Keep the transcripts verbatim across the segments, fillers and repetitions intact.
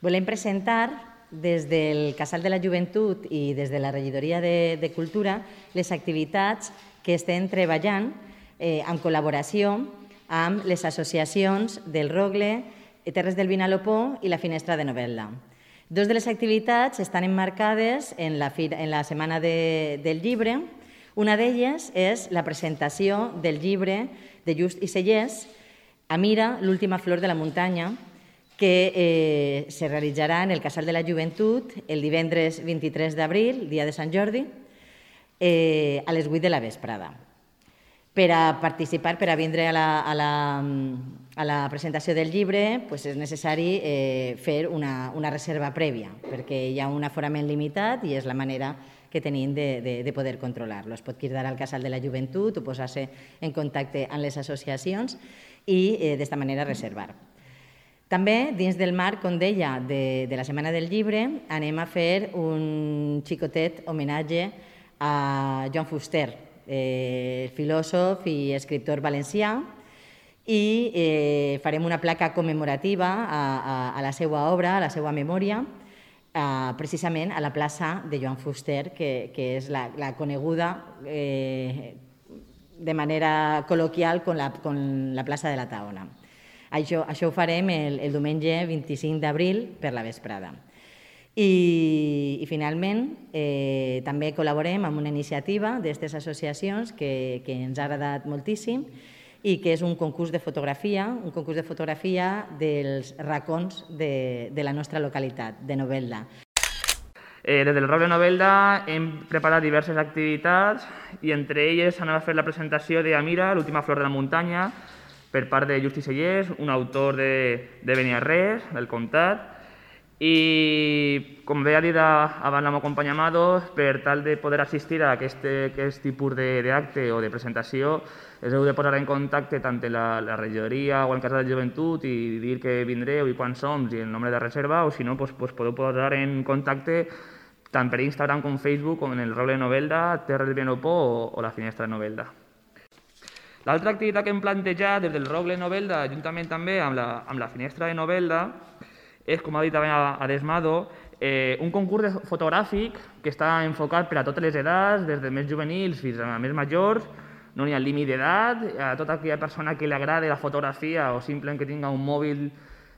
Volem presentar des del Casal de la Joventut i des de la Regidoria de, de Cultura les activitats que estem treballant eh, en col·laboració amb les associacions del Rogle, Terres del Vinalopó i la Finestra de Novelda. Dos de les activitats estan emmarcades en la, en la Setmana de, del Llibre. Una d'elles és la presentació del llibre de Just i Sellers, Amira, l'última flor de la muntanya, que eh, se realitzarà en el Casal de la Joventut el divendres vint-i-tres d'abril, dia de Sant Jordi, eh, a les vuit de la vesprada. Per a participar, per a vindre a la, a la, a la presentació del llibre, pues és necessari eh, fer una, una reserva prèvia, perquè hi ha un aforament limitat i és la manera que tenim de, de, de poder controlar-lo. Es pot cridar al Casal de la Joventut o posar-se en contacte amb les associacions i eh, d'esta manera reservar. També, dins del marc, com deia, de, de la Setmana del Llibre, anem a fer un xicotet homenatge a Joan Fuster, eh, filòsof i escriptor valencià, i eh, farem una placa commemorativa a, a, a la seva obra, a la seva memòria, eh, precisament a la plaça de Joan Fuster, que, que és la, la coneguda eh, de manera col·loquial com la, com la plaça de la Taona. Això, això ho farem el, el diumenge vint-i-cinc d'abril per la vesprada. I, i finalment, eh, també col·laborem amb una iniciativa d'aquestes associacions que, que ens ha agradat moltíssim i que és un concurs de fotografia, un concurs de fotografia dels racons de, de la nostra localitat, de Novelda. Eh, des del Rogle Novelda hem preparat diverses activitats i entre elles anem a fer la presentació d'Amira, l'última flor de la muntanya, per part de Just i Sellers, un autor de, de Beniarrés, del comtat, i com bé ha dit abans la meva companya Amado, per tal de poder assistir a aquest, aquest tipus d'acte o de presentació, us heu de posar en contacte tant en la, la regidoria o el Casal de Joventut i dir que vindreu i quan som i el nombre de reserva, o si no, pues, pues podeu posar en contacte tant per Instagram com Facebook, com en el Rogle Novelda, Terres del Vinalopó o, o la Finestra de Novelda. L'altra activitat que hem plantejat des del Rogle Novelda, juntament també amb la, amb la Finestra de Novelda, és, com ha dit també Adesmado, eh, un concurs fotogràfic que està enfocat per a totes les edats, des de més juvenils fins a més majors, no hi ha límit d'edat, a tota aquella persona que li agrada la fotografia o simplement que tinga un mòbil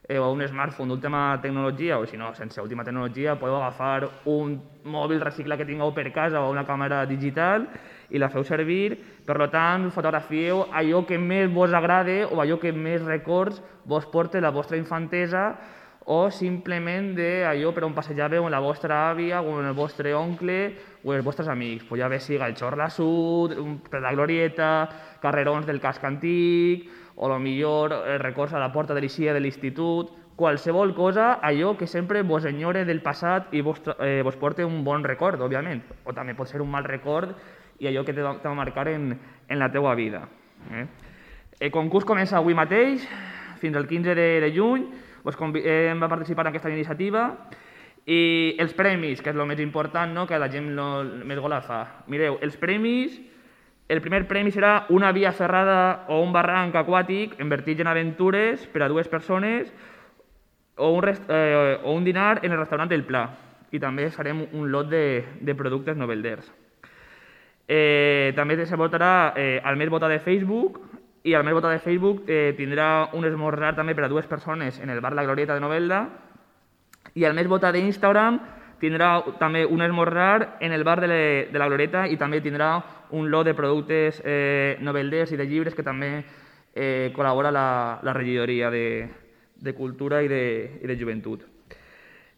eh, o un smartphone d'última tecnologia, o si no, sense última tecnologia, podeu agafar un mòbil reciclat que tingueu per casa o una càmera digital i la feu servir. Per tant, fotografieu allò que més vos agrada o allò que més records vos porta la vostra infantesa o simplement d'allò per on passejàveu amb la vostra àvia o amb el vostre oncle o els vostres amics. Pues ja bé siga el Xorla Sud, per la Glorieta, carrerons del casc antic o millor records a la porta de l'Ixia de l'institut, qualsevol cosa, allò que sempre vos enyore del passat i vos, eh, vos porta un bon record, òbviament, o també pot ser un mal record i allò que te va marcar en, en la teua vida. Eh? El concurs comença avui mateix, fins al quinze de, de juny, vos convidem a participar en aquesta iniciativa i els premis, que és el més important, no? Que la gent no, més gola fa. Mireu, els premis, el primer premi serà una via ferrada o un barranc aquàtic en vertigen aventures per a dues persones o un, rest, eh, o un dinar en el restaurant del Pla. I també farem un lot de, de productes novelders. Eh, també se votarà eh, al més votat de Facebook i al més votat de Facebook eh, tindrà un esmorzar també per a dues persones en el bar La Glorieta de Novelda i al més votat d'Instagram tindrà també un esmorzar en el bar de, le, de La Glorieta i també tindrà un lot de productes eh, novelders i de llibres que també eh, col·labora la, la regidoria de, de Cultura i de, i de Joventut.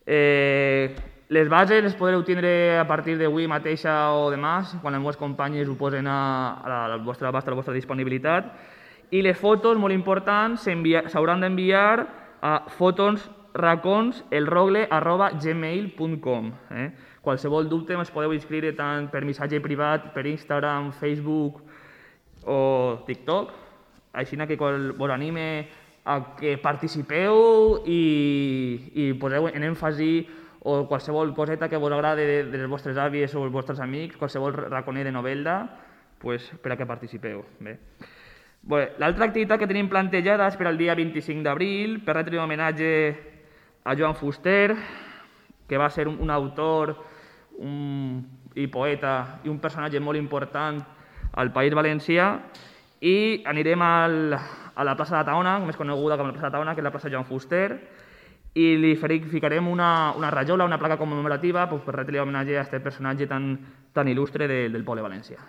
Eh, Les bases les podreu tindre a partir d'avui mateixa o demà, quan els meus companys ho posen a, a la vostra abast, a la vostra disponibilitat. I les fotos, molt importants, s'hauran d'enviar a fotosracons elrogle arroba gmail punt com. Eh? Qualsevol dubte us podeu inscriure tant per missatge privat, per Instagram, Facebook o TikTok. Així que vos anime a que participeu i, i poseu en èmfasi o qualsevol coseta que vos agrade de, de les vostres àvies o els vostres amics, qualsevol raconer de Novelda, pues, per a que participeu. Bé. Bé, l'altra activitat que tenim plantejada és per al dia vint-i-cinc d'abril, per retre un homenatge a Joan Fuster, que va ser un, un autor un, i poeta i un personatge molt important al País Valencià, i anirem al, a la plaça de Taona, més coneguda com la plaça de Taona, que és la plaça Joan Fuster, i li ficarem una, una rajola, una placa commemorativa, pues, per retre homenatge a aquest personatge tan, tan il·lustre de, del poble valencià.